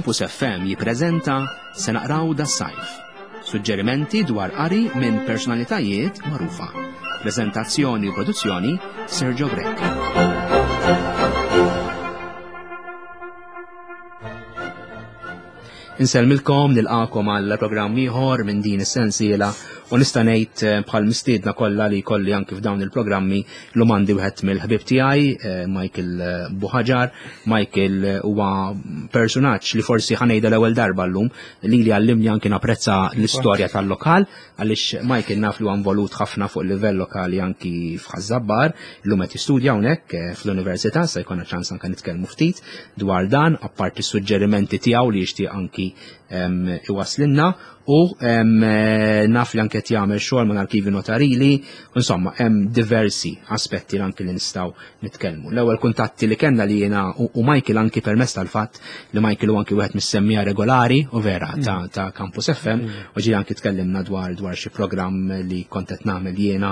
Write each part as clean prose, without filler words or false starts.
Campus FM jippreżenta Se naqraw das-sajf. Suġġerimenti dwar qari minn personalitajiet magħrufa. Preżentazzjoni u produzzjoni Sergio Grech. Insellmilkom nilqakom għal programm ieħor minn din is-sensiela u nista' ngħid eh, bħal mistiedna kollha li jkolli anki f'dawn il-programmi l għandi wieħed mill-ħbieb tiegħi eh, Michael eh, Buħaġar. Michael huwa personaġġ li forsi ħanejda l-ewwel darba llum li li għallimni anki napprezza l-istorja tal-lokal għaliex Michael naf li huwa involut ħafna fuq livell lokali anki f'Ħaż-Żabbar, illum qed jistudja hawnhekk eh, fl-università, se jkollna ċans anke nitkellmu ftit dwar dan, apparti suġġerimenti tiegħu li jixtieq anki ehm, iwaslinna u ehm, eh, naf li anke qed jagħmel xogħol mal-arkivi notarili, insomma hemm diversi aspetti anki li nistgħu nitkellmu. L-ewwel kuntatti li kellna li jiena u Michael anki permezz tal-fatt li Michael u anki wieħed mis-semmija regolari u vera mm. ta', ta Campus FM mm. u ġi anki tkellimna dwar dwar xi programm li kont qed nagħmel jiena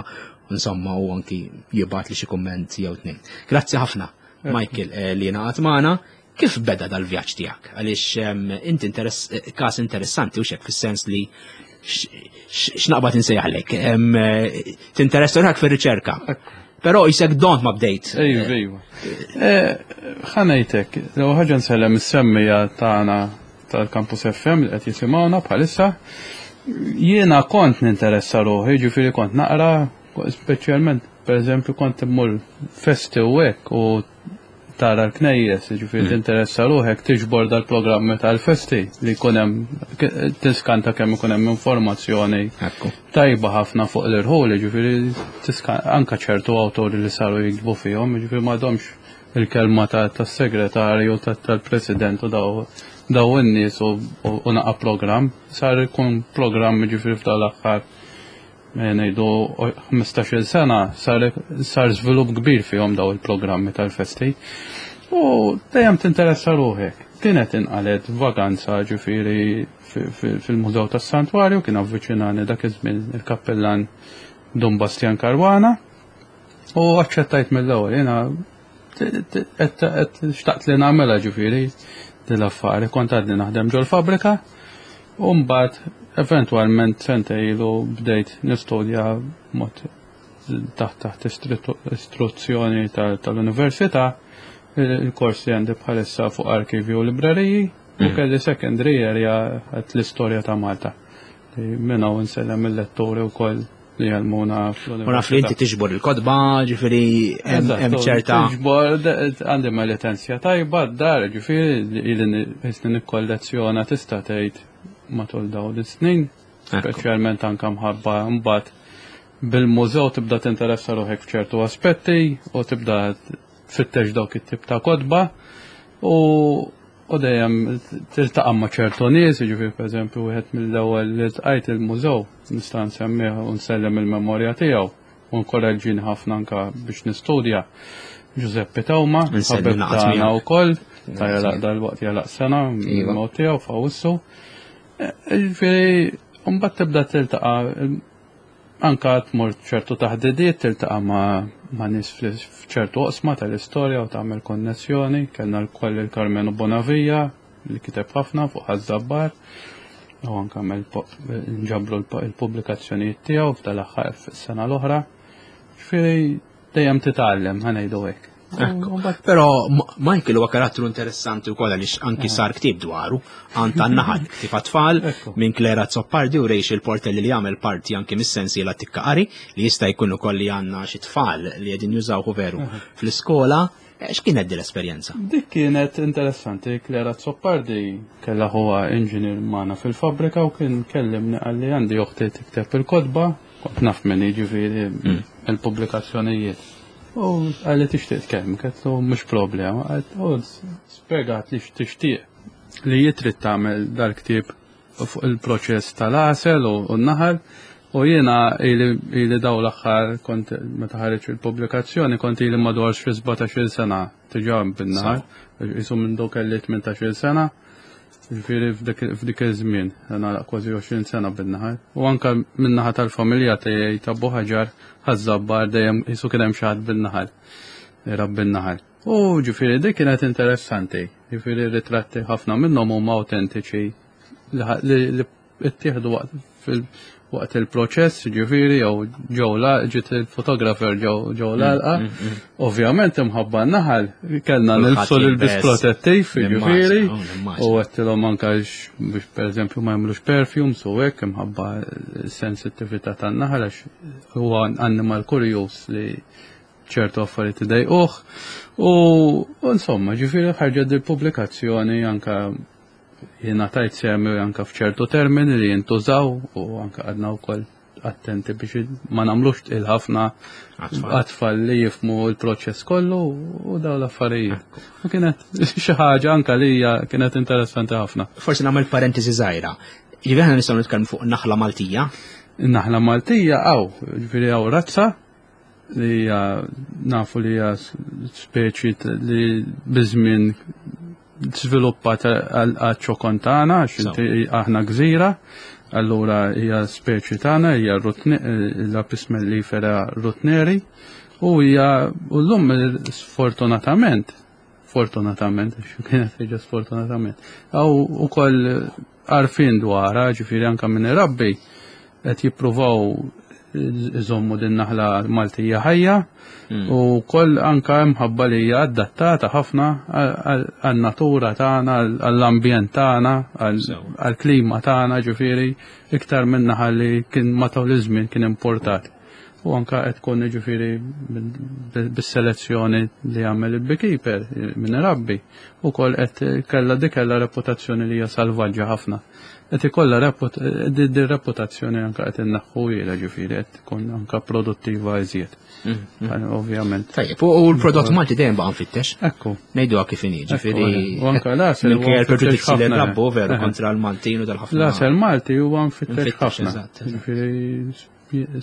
insomma u anki jibgħat li xi kumment jew tnejn. Grazzi ħafna Michael eh, li ngħaqad magħna. Kif beda dal-vjaġġ tiegħek? Għaliex inti interess, eh, każ interessanti u xek fis-sens li x'naqbad insejjaħlek. Eh, tinteressa ruħek fir-riċerka. Però jisek dont ma bdejt. Ejju, ejju. Eh, ħanejtek, l ħaġa nsellem is-semmija tagħna tal-Campus FM li qed jisimgħuna bħalissa. Jiena kont ninteressa ruħi, ġifieri kont naqra, speċjalment pereżempju kont immur festi u hekk u tara l-knejjes, ġifieri mm. tinteressa ruħek tiġbor dal-programmi tal-festi li jkun hemm tiskanta kemm ikun hemm informazzjoni tajba ħafna fuq l-irħul, ġifieri anka ċertu awtori li saru jiktbu fihom, ġifieri m'għadhomx il-kelma tas-segretarju tal-president u daw daw in-nies u naqa' programm, sar ikun programm ġifieri f'dal aħħar ngħidu 15-il sena sar, sar żvilupp kbir fihom daw il-programmi tal-festi. U dejjem tinteressa ruħek. Kienet inqalet vaganza ġifieri fil-Mużew tas-Santwarju kien avviċinani dak iż-żmien il-kappellan Dun Bastian Caruana u aċċettajt mill-ewwel jiena xtaqt li nagħmilha ġifieri din l-affari kont għadni naħdem ġol-fabbrika u mbagħad eventwalment sentejn ilu bdejt nistudja mod taħt taħt istruzzjoni tal-università il-kors li għandi bħalissa fuq arkivju u libreriji u mm. kelli secondary area għat l-istorja ta' Malta. Minn hawn insellem il-letturi wkoll li jgħallmuna fl-università. U naf li inti tiġbor il-kotba, ġifieri hemm ċerta. Tiġbor, għandi ma litenzja tajba d-dar, ġifieri ili qisni nikkollezzjona tista' tgħid matul dawn is-snin, speċjalment anke mħabba mbagħad bil-mużew tibda tinteressa ruħek f'ċertu aspetti u tibda tfittex dawk it-tip ta' kotba u u dejjem tiltaqa' ma' ċertu nies, jiġifieri pereżempju wieħed mill-ewwel li ltqajt il-mużew nista' nsemmih u nsellem il-memorja tiegħu u nkoraġġini ħafna anke biex nistudja. Giuseppe Tawma, ħabib tagħna wkoll, ta' jalaq dal-waqt jalaq sena iva. mod tiegħu f'Awwissu. E, jiġifieri mbagħad tibda tiltaqa' Anka tmur ċertu taħdidiet, tiltaqa' ma' ma' nies f'ċertu oqsma tal-istorja u tagħmel konnessjoni. Kellna lkoll il-Karmenu Bonavia li kiteb ħafna fuq Ħaż-Żabbar u anke għamel nġabru l-pubblikazzjonijiet tiegħu f'dal-aħħar fis-sena l-oħra. Ġifieri dejjem titgħallem, ħa ngħidu hekk. Però Michael huwa karattru interessanti wkoll għaliex anki eh. sar ktieb dwaru, għand tan-naħal, ktieb tfal minn Klera Zoppardi u Rachel Portelli li jagħmel parti anki mis-sensiela Tikka Qari li jista' jkun ukoll li għandna xi tfal li qegħdin jużawhu veru eh. fl-iskola. Eh, x'kienet din l-esperjenza? Dik kienet interessanti, Klera Zoppardi kellha huwa inġinier magħna fil-fabbrika u kien kellimni qalli għandi oħti tikteb il-kotba, kont naf min jiġifieri mm. il-pubblikazzjonijiet. U għalli tixtieq tkellem, għedtlu mhux problema, u spjegat li x'tixtieq li jitrid tagħmel dal-ktieb fuq il-proċess tal-għasel u n-naħal u jiena ili daw l-aħħar kont meta ħareġ il-pubblikazzjoni kont ili madwar xi 17-il sena diġà bin-naħal, jisu minn dawk kelli 18-il sena. Ġifieri f'dik iż-żmien, nagħlaq kważi 20 sena bin-naħal. U anke min-naħa tal-familja tiegħi ta' Buħaġar, Ħaż-Żabbar dejjem qisu kien hemm xi ħadd bin-naħal, irabbi n-naħal. U ġifieri dik kienet interessanti, ġifieri ritratti ħafna minnhom huma autentiċi li ttieħdu waqt il-proċess, ġifieri jew ġew la ġiet il-fotografer ġew mm, l-għalqa. Mm, mm. Ovvjament imħabba n-naħal kellna nilbsu l-ilbis protettiv, ġifieri, u għedtilhom anke biex pereżempju ma jagħmlux perfumes u hekk imħabba sensittività tan-naħal għax huwa annimal kurjuż li ċertu affarijiet idejquh. U insomma, ġifieri ħarġet il pubblikazzjoni anka jiena tajt semi anka f'ċertu termini li jintużaw u anka għadna wkoll attenti biex ma nagħmlux tqil ħafna għat-tfal li jifmu l-proċess kollu u daw l-affarijiet. U kienet xi ħaġa anka li hija kienet interessanti ħafna. Forsi nagħmel parentesi żgħira. Ġifieri aħna nistgħu nitkellmu fuq naħla Maltija. Naħla Maltija hawn, ġifieri hawn razza li hija nafu li hija speċi li biż-żmien żviluppat għaċ-ċokon tagħna għax inti aħna gżira, allura hija speċi tagħna hija l-Apis mellifera rutneri u hija u llum sfortunatament fortunatament, kienet ħeġa sfortunatament. Għaw u koll għarfin dwarha, ġifiri anka minn irabbi, qed jippruvaw iżommu din naħla Maltija ħajja hmm. u koll anka mħabba li hija adattata ħafna għan-natura tagħna, għall-ambjent tagħna, għall-klima tagħna, ġifieri iktar minn naħa li kien matul iż-żmien kien importat. U anka qed tkun jiġifieri bis-selezzjoni li għamel il-beekeeper minn irabbi ukoll qed kellha dik kellha reputazzjoni li hija salvaġġa ħafna. Qed ikollha din reputazzjoni anka qed inneħħuhielha ġifieri qed tkun anka produttiva iżjed. Mm, mm. Ovvjament. Tajjeb, u l-prodott Malti dejjem baqa' nfittex. Ekku. Ngħiduha kif inhi, ġifieri. U anka l-għasel. Minkejja l-preġudizzji li rabbu veru kontra l-Maltin u dal-ħafna. L-għasel Malti huwa nfittex ħafna. Ġifieri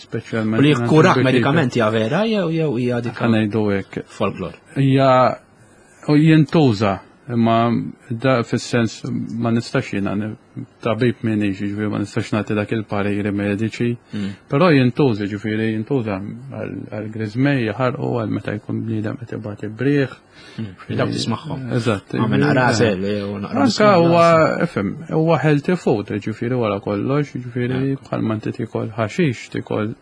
speċjalment. U li jikkurak medikament hija vera jew jew hija dik. Ngħidu hekk. Folklor. Hija u jintuża imma da fis-sens ma nistax jiena tabib minix, ġifieri ma nistax nagħti dak il-pariri mediċi, mm. però jintuża ġifieri jintuża għal griżmej jaħarqu għal meta jkun bniedem qed ibati brieħ. Mm. Dawk tismagħhom. Eżatt. Għamel naqra għażel u naqra. Anka huwa ifhem, huwa healthy food, ġifieri wara kollox, ġifieri bħalma inti tikol ħaxix, tikol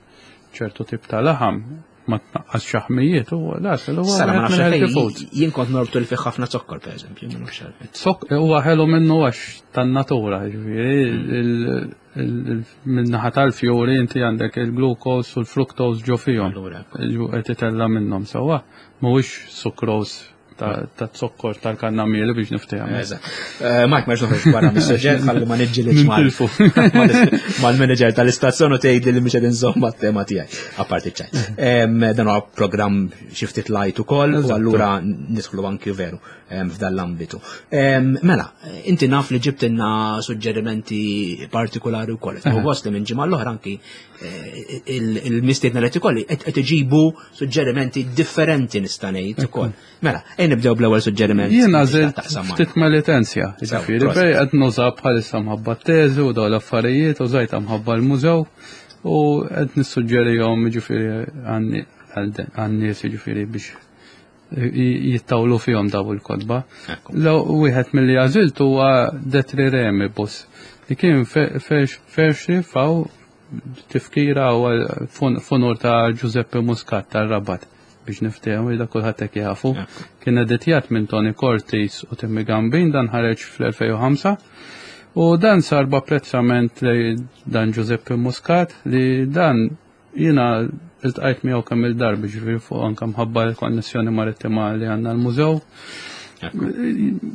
ċertu tip ta' laħam, ma tnaqqas xaħmijiet u l-għasel huwa Sara ma nafx healthy food. Jien kont norbtu li fih ħafna zokkor pereżempju, ma nafx għalfejn. Zokk huwa ħelu minnu għax tan-natura, ġifieri min-naħa tal-fjuri inti għandek il-glucose u l-fructose ġo fihom. Qed itella' minnhom sewwa. Mhuwiex sucrose ta' zokkor tal-kannamieli biex niftehmu. Eżatt. Eh, Mike, ma noħroġ barra mis-suġġett ħalli ma niġġilidx mal-manager tal-istazzjon u tgħidli li mhux qed inżomm mat-tema tiegħi. Apparti ċajt. Dan huwa programm xi ftit light ukoll u allura nidħlu anki veru f'dan l-ambitu. Mela, inti naf li ġibtilna suġġerimenti partikolari wkoll. U gost li minn ġimgħa l-oħra anki eh, il-mistiedna li ikolli qed iġibu suġġerimenti differenti nista' ngħid ukoll. Mela, ejn nibdew bl-ewwel suġġeriment. Jien għażilt ftit melitenzja, ġifieri bej qed nuża bħalissa mħabba t-teżi u dawn l-affarijiet u żajta mħabba l-mużew u qed nissuġġerihom ġifieri għan-nies ġifieri biex jittawlu fihom daw il-kotba. Law wieħed milli għażilt huwa Detri Remibus li kien ferxi faw tifkira u funur ta' Giuseppe Muscat tar-Rabat biex niftehmu da kulħadd hekk jafu. Kien editjat minn Tony Cortis u Timmy Gambin dan ħareġ fl-2005 u dan sar b'apprezzament li dan Giuseppe Muscat li dan Jiena iltqajt miegħu kemm il-darba ġifieri fuq anke mħabba l-konnessjoni marittima li għandna l-mużew.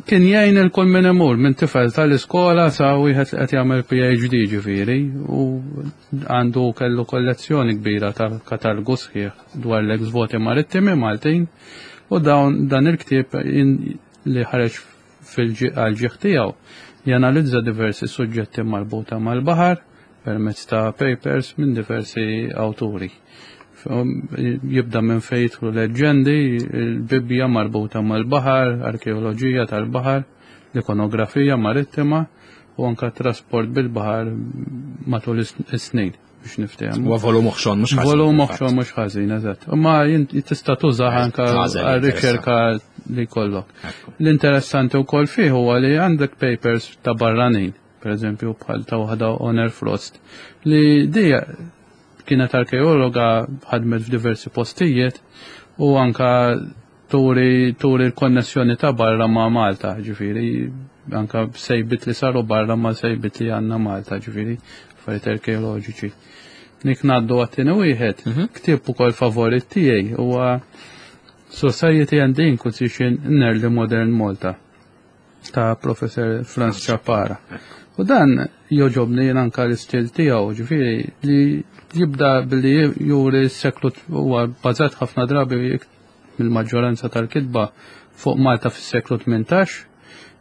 Kien jgħin il-kull min imur minn tifel tal-iskola sa wieħed li qed jagħmel PhD ġifieri u għandu kellu kollezzjoni kbira ta' katalgu sħiħ dwar l-ex voti marittimi Maltin u dawn dan il-ktieb li ħareġ fil-ġieħ tiegħu janalizza diversi suġġetti marbuta mal-baħar permezz ta' papers minn diversi awturi. Jibda minn fejn jidħlu leġġendi, il-Bibbja marbuta mal-baħar, arkeoloġija tal-baħar, l-ikonografija marittima u anka trasport bil-baħar matul is-snin biex niftehmu. Huwa volum oħxon mhux ħażin. Volum oħxon mhux ħażin, eżatt. Imma tista' tużah anka għar-riċerka. li jkollok. L-interessanti wkoll fih huwa li għandek papers ta' barranin, per eżempju bħal ta' waħda Honor Frost, li di kienet arkeologa ħadmet f'diversi postijiet u anka turi turi l-konnessjoni ta' barra ma' Malta, ġifieri anka sejbit li saru barra ma' sejbit li għandna Malta, ġifieri affarijiet arkeoloġiċi. Nik ngħaddu għat-tieni wieħed, ktieb ukoll favorit tiegħi huwa Society and the Inquisition in Early Modern Malta ta' Professor Franz Ciappara. U dan joġobni jien anka l-istil tiegħu, ġifieri li jibda billi juri s-seklu huwa bbażat ħafna drabi mill-maġġoranza tal-kitba fuq Malta fis-seklu 18,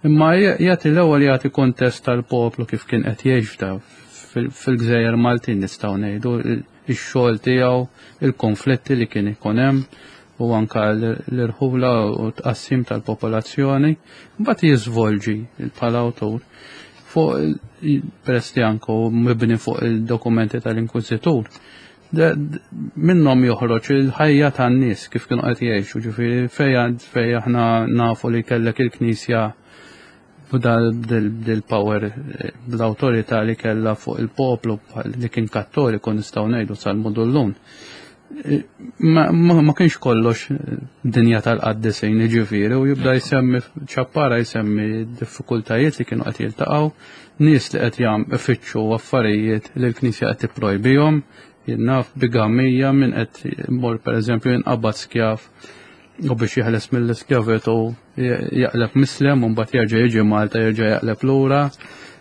imma jagħti l-ewwel jagħti kontest tal-poplu kif kien qed jgħix f'da fil-gżejjer Maltin nistgħu ngħidu ix-xogħol tiegħu, il-konflitti li kien ikun hemm u anka l-irħula u tqassim tal-popolazzjoni, mbagħad jiżvolġi bħala awtur fuq peress li anke mibni fuq il-dokumenti tal-Inkwiżitur. Minnhom joħroġ il-ħajja tan-nies kif kienu qed jgħixu, ġifieri fejn fej aħna nafu li kellek il-Knisja b'dil-power bl-awtorità li kellha fuq il-poplu li kien kattoliku nistgħu ngħidu sal-mudullun. Ma, ma, kienx kollox dinja tal-qaddisin ġifieri u jibda jsemmi ċappara jsemmi diffikultajiet li kienu qed jiltaqgħu, nies li qed jam ifittxu affarijiet li l-Knisja qed tipprojbihom, naf bigamija min qed mor pereżempju jinqabad skjav u biex jeħles mill-iskjavitu jaqleb mislem u mbagħad jerġa' jiġi Malta jerġa' jaqleb lura.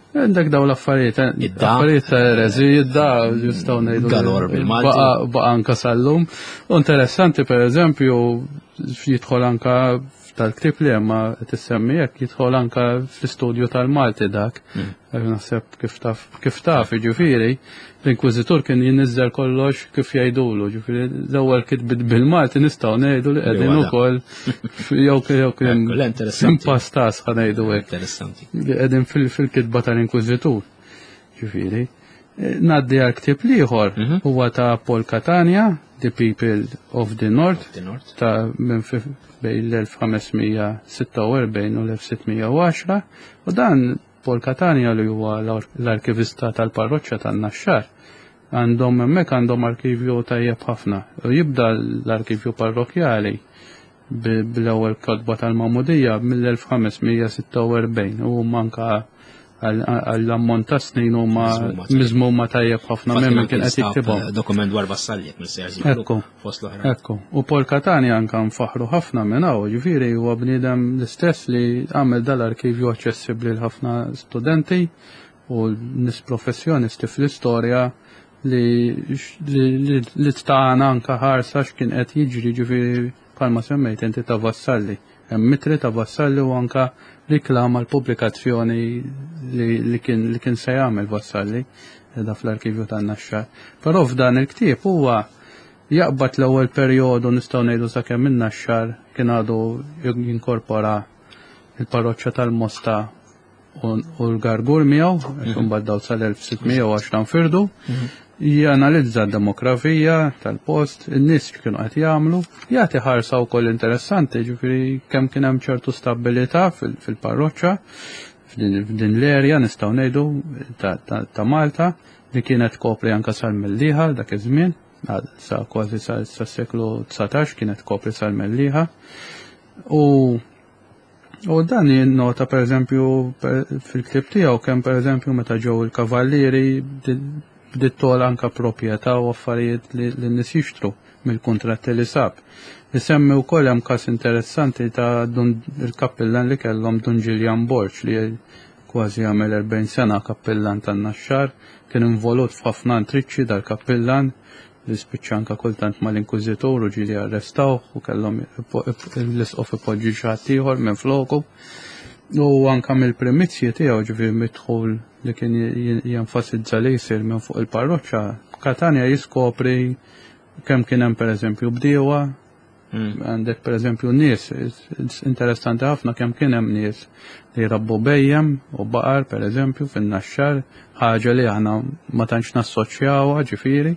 Għandek daw l-affarijiet, eh, affarijiet ta' erezi, id-da jistgħu ngħidu. Galor bil-Malti. Baqa anka sal-lum. U interessanti pereżempju jidħol anka tal-ktib li hemm tissemmi hekk jidħol anka fl-istudju tal-Malti dak. Naħseb kif taf, kif taf, ġifieri, l-Inkwiżitur kien jinniżżel kollox kif jgħidulu, ġifieri l-ewwel kitbit bil-Malti nistgħu ngħidu li qegħdin ukoll jew jew kien impastas ħa ngħidu hekk. Interessanti. Li qegħdin fil-kitba tal-Inkwiżitur. Ġifieri. Ngħaddi għal ktieb l-ieħor mhm. huwa ta' Paul Catania, The People of the North, ta' minn bejn l-1546 u l-1610 u dan Paul Catania li huwa l-arkivista tal-parroċċa tan-Naxxar għandhom hemmhekk għandhom arkivju tajjeb ħafna. U jibda l-arkivju parrokjali bl-ewwel kotba tal-Magħmudija mill-1546 u manka għall-ammont ta' snin huma miżmuma tajjeb ħafna minn min kien qed jiktibhom. Eh, dokument dwar Vassalli jekk mill Ekku. Fost l-oħra. Ekku. U Paul Catania anka nfaħru ħafna minn hawn, ġifieri huwa bniedem l-istess li għamel dal-arkivju aċċessibbli l ħafna studenti u nies professjonisti fl-istorja li li tagħna anka ħarsa x'kien qed jiġri ġifieri bħalma semmejt inti ta' Vassalli. Hemm mitri ta' Vassalli u anka riklama l-pubblikazzjoni li kien li kien se jagħmel Vassalli da fl-arkivju tan-Naxxar. Però f'dan il-ktieb huwa jaqbad l-ewwel perjodu nistgħu ngħidu sakemm in-Naxxar kien għadu jinkorpora il-parroċċa tal-Mosta u l-Gargur miegħu, għax mhm. imbagħad daw sal-1610 nfirdu, mhm. janalizza d-demografija tal-post, in-nies x'kienu qed jagħmlu, jagħti ħarsa wkoll interessanti, ġifieri kemm kien hemm ċertu stabilità fil-parroċċa f'din l-erja nistgħu ngħidu ta' Malta li kienet kopri anka sal-Mellieħa dak iż-żmien, sa kważi sa seklu 19 kienet kopri sal-Mellieħa. U U dan jinnota pereżempju fil-ktieb tiegħu kemm pereżempju meta ġew il-kavallieri bdiet togħla anke proprjetà u affarijiet li n-nies jixtru mill-kuntratti li sab. Isemmi wkoll hemm każ interessanti ta' il-kappillan li kellhom Dun Ġiljan Borg li kważi għamel 40 sena kappillan tan-Naxxar, kien involut f'ħafna intriċċi dal-kappillan, li spiċċa anka kultant mal-inkwiżitur u ġieli arrestawh u kellhom l-isqof ipoġġi xi ħadd ieħor minn floku. U anka mill-primizji tiegħu ġifieri mid-dħul li kien jenfasizza li jsir minn fuq il-parroċċa, Katanja jiskopri kemm kien hemm pereżempju bdiewa. Għandek per eżempju nies, interessanti ħafna kemm kien hemm nies li jrabbu bejjem u baqar per eżempju fin-Naxxar, ħaġa li aħna ma tantx nassoċjawha ġifieri,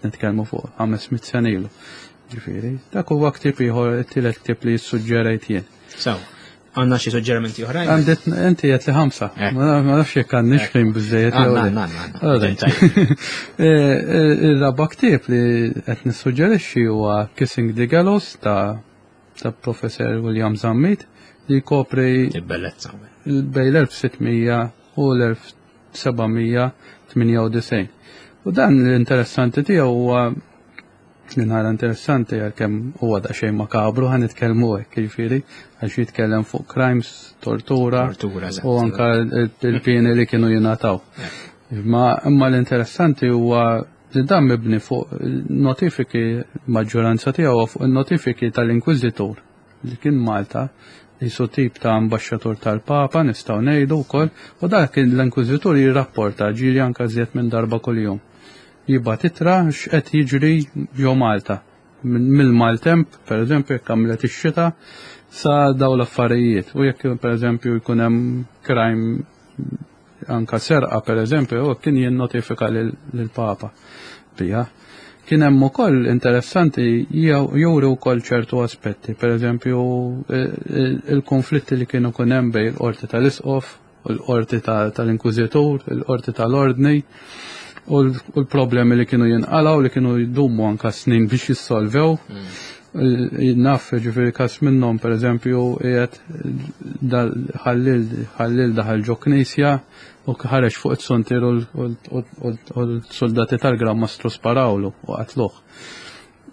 nitkellmu fuq 500 sena ilu. Ġifieri, dak huwa ktieb ieħor, it-tielet ktieb li ssuġġerejt jien. Sew. Għandna xi suġġerimenti oħrajn? Għandit inti qed li ħamsa. Eh. Ma nafx jekk għandniex ħin biżejjed jew le. Eh, eh, il-raba' ktieb li qed nissuġġerixxi huwa Kissing the Gallows ta' ta' Professor William Zammit li jkopri bellezza bejn l-1600 u l-1798. U dan l-interessanti tiegħu huwa Li nara interessanti għalkemm huwa daqsxejn makabru ħa nitkellmu hekk jiġifieri għax jitkellem fuq crimes, tortura, tortura u anka il-pieni li kienu jingħataw. Ma imma l-interessanti huwa li dan mibni fuq notifiki maġġoranza tiegħu fuq il-notifiki tal-Inkwiżitur li kien Malta jisu tip ta' ambaxxatur tal-Papa nistgħu ngħidu wkoll u dak l-Inkwiżitur jirrapporta ġieli anka żjed minn darba kuljum. Jibgħat ittra x'qed jiġri ġo Malta. Mill-maltemp, per eżempju, jekk għamlet ix-xita, sa daw l-affarijiet. U jekk per eżempju jkun hemm crime anka serqa per eżempju, u kien jinnotifika lill-Papa biha. Kien hemm ukoll interessanti juri wkoll ċertu aspetti, per eżempju il-konflitti li kienu kun hemm bejn il-qorti tal-Isqof u l-qorti tal-Inkwiżitur, il-qorti tal-Ordni, u l-problemi li kienu jinqalaw li kienu jdumu anka snin biex jissolvew. Naf ġifieri każ minnhom pereżempju qiegħed ħallil daħal ġo knisja u ħareġ fuq it-suntier u l-soldati tal-Gran Mastru sparawlu u qatluh.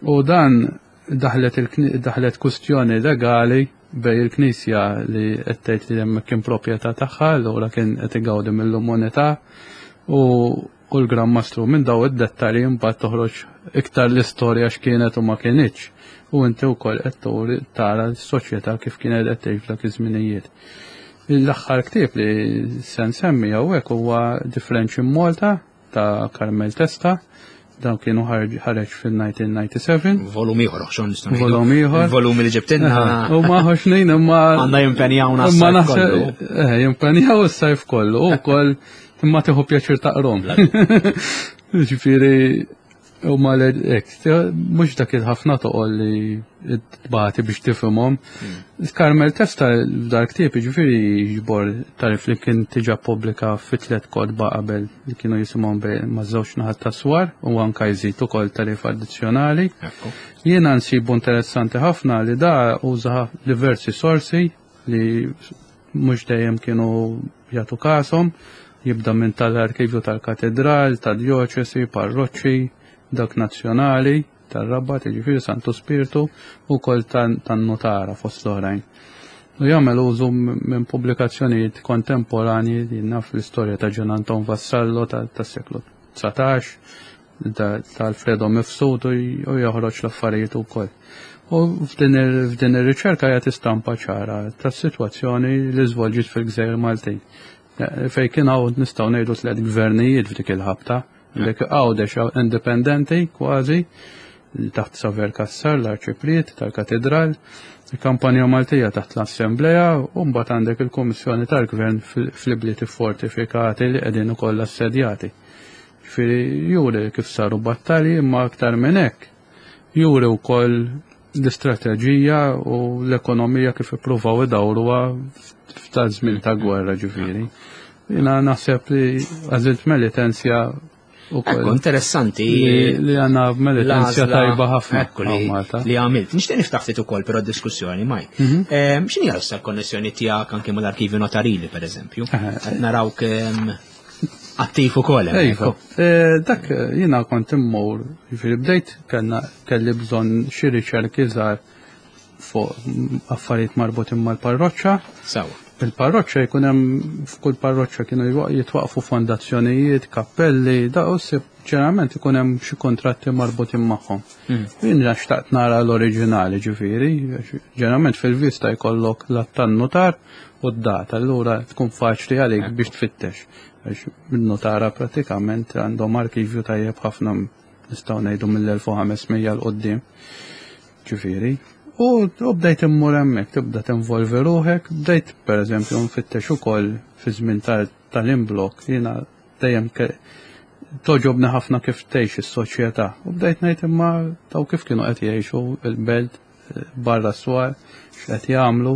U dan daħlet daħlet kustjoni legali bej il-Knisja li qed tgħid li hemmhekk kien proprjetà tagħha, allura kien qed igawdi mill-immunità u u l-Gran Mastru. Minn daw id-dettalji mbagħad toħroġ iktar l-istorja x'kienet u ma kinitx. U inti wkoll qed turi tara s-soċjetà kif kienet qed tgħix f'dak iż-żminijiet. L-aħħar ktieb li se nsemmi hawnhekk huwa The French in Malta ta' Carmel Testa. Dan kienu ħareġ fil-1997. Volum ieħor, xon nistgħu. Volum ieħor. Volum li ġibtinna. U ma ħoxnin imma. Għandna jimpenjawna s-sajf kollu. Eh, jimpenjaw s-sajf kollu. U koll imma tieħu pjaċir taqrom. Ġifieri u ma ek, mhux dak il-ħafna toqol li tbati biex tifhimhom. Hmm. Carmel Testa dal ktieb ġifieri jiġbor tarif li kien tiġa pubblika fi tliet kotba qabel li kienu jisimhom ma' żewġ naħat ta' swar u anka jżid ukoll tarif addizzjonali. Jiena nsibu interessanti ħafna li da uża diversi sorsi li mhux dejjem kienu jagħtu kashom, jibda minn tal-arkivju tal-katedral, tad-djoċesi, parroċċi, dak nazzjonali, tar-Rabat, jiġifieri Santu Spirtu, u wkoll tan-nutara fost l-oħrajn. U jagħmel użu minn pubblikazzjonijiet kontemporanji li naf l-istorja ta' Ġan Anton Vassallo tas-seklu 19, ta' Alfredo Mifsud u joħroġ l-affarijiet ukoll. U f'din ir-riċerka jagħti stampa ċara tas-sitwazzjoni li żvolġiet fil-Gżejjer Maltin. Eh, fej kien hawn nistgħu ngħidu tliet gvernijiet f'dik il-ħabta. Dik Għawdex indipendenti kważi taħt Saver Kassar, l-Arċipriet tal-Katedral, il-kampanja Maltija taħt l-Assembleja, u mbagħad għandek il-Kummissjoni tal-Gvern fl-ibliet fortifikati li qegħdin ukoll assedjati. Ġifieri juri kif saru battalji imma aktar minn hekk juri wkoll l-istrateġija u l-ekonomija kif ippruvaw idawruha f'tal żmien ta' gwerra ġifieri. Jiena naħseb li għażilt Melitensja ukoll. Interessanti. Li għandna Melitensja tajba ħafna li għamilt. Nixtieq niftaħ ftit ukoll però diskussjoni Mike. Mhm. Ehm, x'inhi issa l-konnessjoni tiegħek anke mal-arkivju notarili pereżempju? Qed narawk ehm, Attiv ukoll. Iva. Eh, dak eh, jiena kont immur, jiġifieri bdejt kellna kelli bżonn xi riċerki żgħar fuq affarijiet marbutin mal-parroċċa. Sawa. Il-parroċċa jkun hemm f'kull parroċċa kienu jitwaqfu fondazzjonijiet, kappelli, da u ssib ġeneralment ikun hemm xi kontratti marbutin magħhom. Hmm. Jien xtaqt nara l-oriġinali ġifieri, ġeneralment fil-vista jkollok l-att tan-nutar u d-data, allura tkun faċli għalik biex tfittex. Għax min-nutara pratikament għandhom arkivju tajjeb ħafna nistgħu ngħidu mill-1500 l qoddim. Ġifieri. U bdejt immur hemmhekk, tibda tinvolvi ruħek, bdejt pereżempju nfittex ukoll fi żmien tal-imblok, jiena dejjem toġobni ħafna kif tgħix is-soċjetà. U bdejt ngħid imma taw kif kienu qed jgħixu il-belt barra s-swar, x'qed jagħmlu.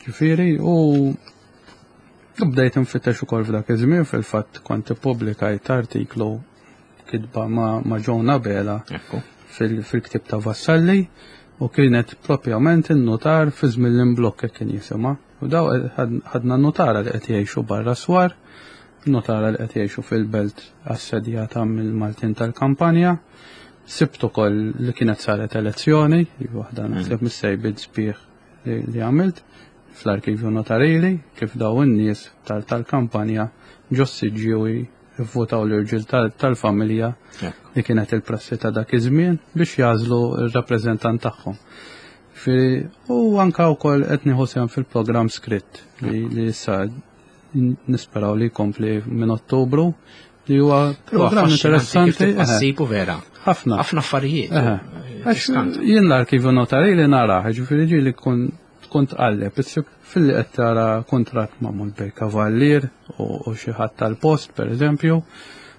Ġifieri u bdejt nfittex ukoll f'dak iż-żmien fil-fatt kont ippubblikajt artiklu kitba ma', ma John Abela fil-ktieb ta' Vassalli u kienet propjament in-nutar fi żmien l-imblokk kien jisimha. U daw ħadna notara li qed jgħixu barra swar, notara li qed jgħixu fil-belt assedjata mill-Maltin tal-kampanja. Sibt ukoll li kienet saret elezzjoni, li waħda naħseb mis-sejbiet sbieħ li għamilt fl-arkivju notarili kif daw in-nies tal-kampanja ġo s-siġġiewi vvotaw l-irġiel tal-familja li kienet il-prassi ta' dak iż-żmien biex jagħżlu r-rappreżentant tagħhom. U anka wkoll qed nieħu sehem fil-programm skritt li issa nisperaw li jkompli minn Ottubru li huwa programm interessanti. Passibu vera. Ħafna. Ħafna affarijiet. Għax jien l-arkivju notari li naraħ, ġifieri ġieli kun tkun tqalleb, issib filli qed tara kuntratt magħmul bej kavallier u xi ħadd tal-post pereżempju,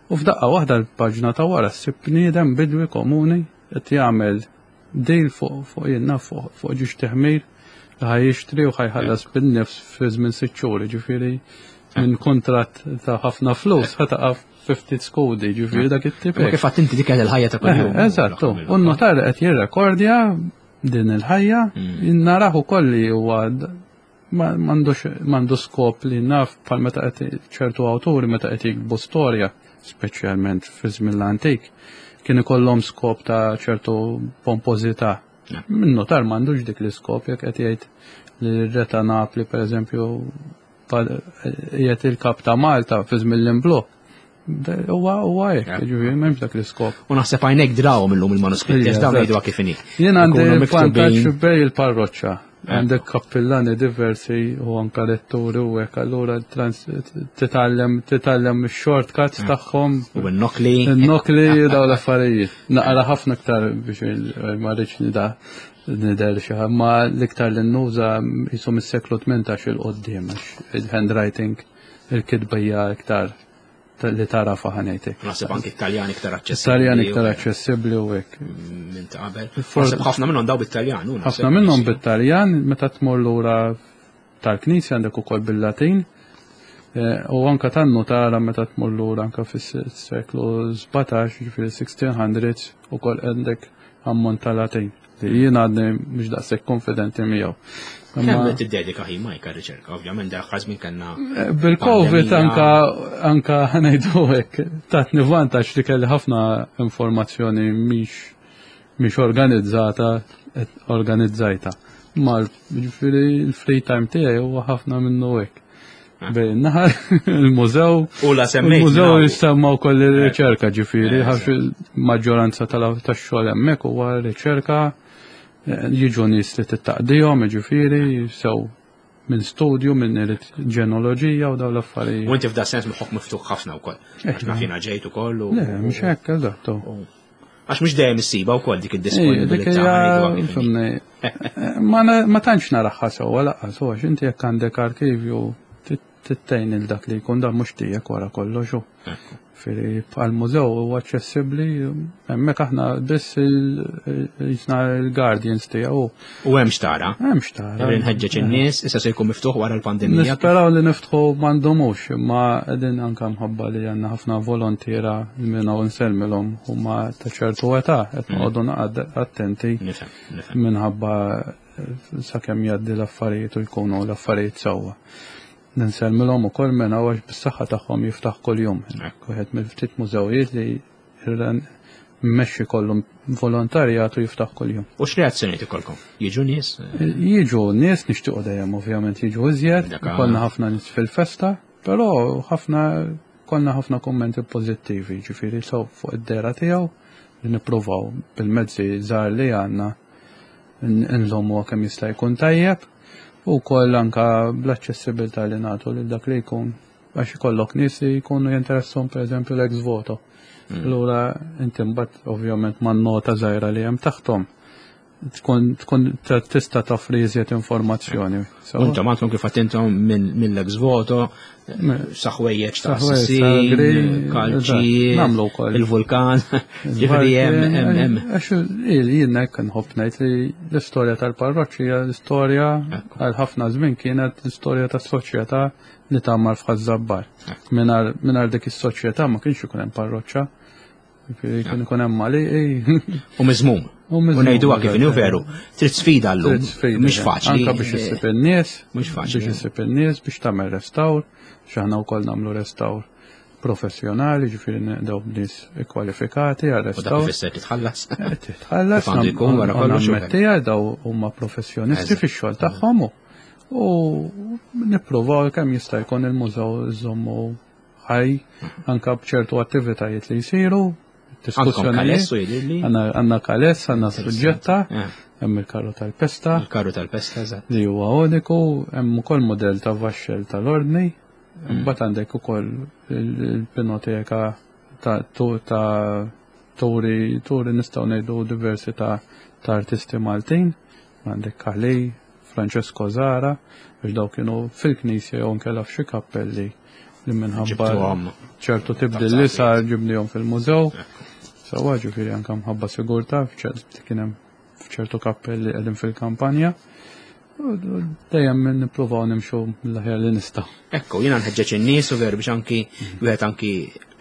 u f'daqqa waħda l-paġna ta' wara ssib bniedem bidwi komuni qed jagħmel deal fuq fuq jien naf fuq fuq ġiex teħmir li ħa jixtri u ħa jħallas bin-nifs fi żmien sitt xhur, ġifieri minn kuntratt ta' ħafna flus ħa taqa' fi ftit skudi, ġifieri dak it-tip. Ma kif għadt inti dik il-ħajja ta' kuljum. Eh, eżattu, u n-notar qed jirrekordja din il-ħajja, mm. naraħ ukoll li huwa m'għandu skop li naf bħal meta qed ċertu awturi meta qed jiktbu storja, speċjalment fi żmien l-antik, kien ikollhom skop ta' ċertu pompożità. Min notar m'għandux dik l-iskop jekk qed jgħid li r-re ta' Napli pereżempju qiegħed il-kap ta' Malta fi żmien l-imblokk. Huwa huwa hekk, ġifieri m'hemmx dak l-iskop. U naħseb għajnek drawhom illum il-manuskritti għax dawn jgħiduha kif inhi. Jien għandi vantaġġ bej il-parroċċa. Għandek kappillani diversi u anka letturi u hekk, allura titgħallem titgħallem ix-shortcuts tagħhom. U n-nokli. N-nokli daw l-affarijiet. Naqra ħafna iktar biex ma rridx nida nidher xi ma l-iktar li nuża jisom is-seklu 18 il-qoddim il-handwriting il-kitba hija iktar li tara faħanejtek. Naħseb anki Taljan iktar aċċessibbli. Taljan iktar aċċessibbli u hekk. Minn ta' qabel. Naħseb ħafna minnhom daw bit-Taljan. Ħafna minnhom bit-Taljan meta tmur lura tal-Knisja għandek ukoll bil-Latin. Eh, u anka tannu tara meta tmur lura anka fis-seklu 17, ġifieri 1600s ukoll għandek ammont ta' Latin. Li jien għadni mhux daqshekk konfidenti miegħu. Kemm qed tiddedika ħin Mike għar-riċerka, ovvjament dak żmien kellna. Eh, bil-Covid anka anka ngħidu hekk tatni vantaġġ li kelli ħafna informazzjoni mhix mhix organizzata organizzajta. Ma ġifieri l-free time tiegħi huwa ħafna minnu hekk. Ah. Bejn naħar il-mużew. U la semmejt. Il-mużew jissemma wkoll ir-riċerka eh. ġifieri, eh, għax il-maġġoranza tax-xogħol hemmhekk huwa riċerka eh, jiġu nies li tittaqdihom, ġifieri, sew minn studju, minn irid ġenoloġija u dawn l-affarijiet. U inti f'da sens moħħok miftuħ ħafna wkoll. Għax naf jiena ġejt ukoll u. Le, mhux hekk, eżattu. Għax mhux dejjem issiba wkoll dik id-disponibilità. Ma tantx naraħħa sewwa laqqas, għax inti jekk għandek arkivju tittejn il dak li jkun dan mhux tiegħek wara kollox hu. Firri bħal mużew huwa aċċessibbli hemmhekk aħna biss jisna l-guardians tiegħu. U hemm xtara. Hemm xtara. Nħeġġeġ in-nies issa se jkun miftuħ wara l-pandemija. Nisperaw li niftħu m'għandhomux, imma qegħdin anke mħabba li għandna ħafna volontiera minn hawn nsellmilhom huma ta' ċertu età qed mm. noqogħdu naqgħod attenti minħabba sakemm jgħaddi l-affarijiet u jkunu l-affarijiet sewwa. Nsellmilhom ukoll minn hawn għax bis-saħħa tagħhom jiftaħ kuljum. Wieħed mill-ftit mużewijiet li mmexxi kollu volontarjat u jiftaħ kuljum. U x'reazzjonijiet ikolkom? Jiġu nies? Jiġu nies nixtiequ dejjem ovvjament jiġu iżjed, ikollna ħafna nies fil-festa, però ħafna konna ħafna kummenti pożittivi, ġifieri sew fuq id-dera tiegħu li nippruvaw bil-mezzi żgħar li għandna nżommuha kemm jista' jkun tajjeb u wkoll anka bl-aċċessibilità li nagħtu lil dak li jkun għax ikollok nies li jkunu jinteressahom pereżempju l-ex voto. Mm. Allura inti mbagħad ovvjament man-nota żgħira li hemm taħthom. tkun tkun tista' toffri iżjed informazzjoni. Intom għandkom kif intom mill-ex voto, saħwejjeġ ta' assassini, kalċi, nagħmlu wkoll il-vulkan, ġifieri hemm hemm hemm. Għax jien hekk nħobb ngħid li l-istorja tal-parroċċi hija l-istorja għal ħafna żmien kienet l-istorja tas-soċjetà li tgħammar f'Ħaż-Żabbar. Mingħajr dik is-soċjetà ma kienx ikun hemm parroċċa. Kien ikun hemm għaliqi. U miżmum. U ngħiduha kif inhu veru. Trid sfida llum. Mhux faċli. Anka biex issib in-nies. Mhux faċli. Biex issib in-nies biex tagħmel restawr, x'aħna wkoll nagħmlu restawr professjonali, ġifieri naqdaw b'nies ikkwalifikati għal restawr. U dak ifisser titħallas. Eh, titħallas. Għandu jkun wara kollox. Nammettija daw huma professjonisti fix-xogħol tagħhom u nippruvaw kemm jista' jkun il-mużew iżommu ħaj anka b'ċertu attivitajiet li jsiru. Diskussjonijiet. Għandna kaless, għandna suġġetta, eh. hemm il-karru tal-pesta. Il-karru tal-pesta, eżatt. Li huwa uniku, hemm ukoll modell ta' vaxxel tal-ordni. Mm. Mbagħad għandek ukoll il-pinoteka ta' turi turi nistgħu ngħidu diversi ta' artisti Maltin. Għandek Kali, Francesco Zara, biex daw kienu fil-knisja jew nkella f'xi kappelli li minħabba ċertu tibdil li sar ġibnihom fil-mużew. Sawa ġifieri anke mħabba sigurtà kien hemm f'ċertu kappelli qegħdin fil-kampanja. Dejjem nippruvaw nimxu l-aħjar li nista'. Ekku, jiena nħeġġeġ in-nies u veru biex anki wieħed anki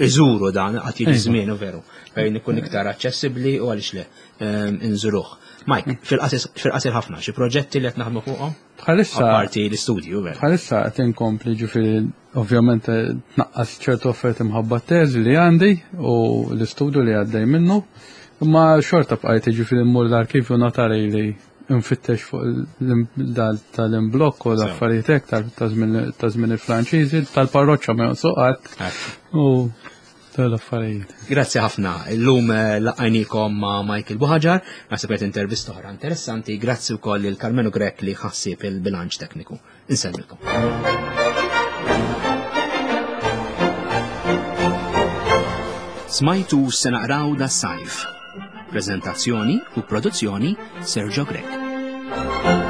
iżuru dan qatt jiġi żmien u veru fejn ikun iktar aċċessibbli u għaliex le ehm, inżuruh. Mike, fil-qasir ħafna, xi proġetti li qed naħdmu fuqhom? Bħalissa. Parti l-istudju, veru. Bħalissa qed inkompli ġifieri ovvjament eh, tnaqqas ċertu offerti mħabba teżi li għandi u l-istudju li għaddej minnu. Imma xorta bqajt ġifieri mmur l-arkivju notari li nfittex fuq tal-imblokk u l-affarijiet hekk ta' żmien il-Franċiżi, tal-parroċċa ma jonqsu qatt. U tal-affarijiet. Grazzi ħafna. Illum eh, laqajnikom ma' Michael Buħaġar, naħseb qed intervista oħra interessanti. Grazzi wkoll lil Carmenu Grek li ħassib il-bilanċ tekniku. Insellmilkom. Smajtu se naqraw da sajf. Prezentazzjoni u produzzjoni Sergio Grek.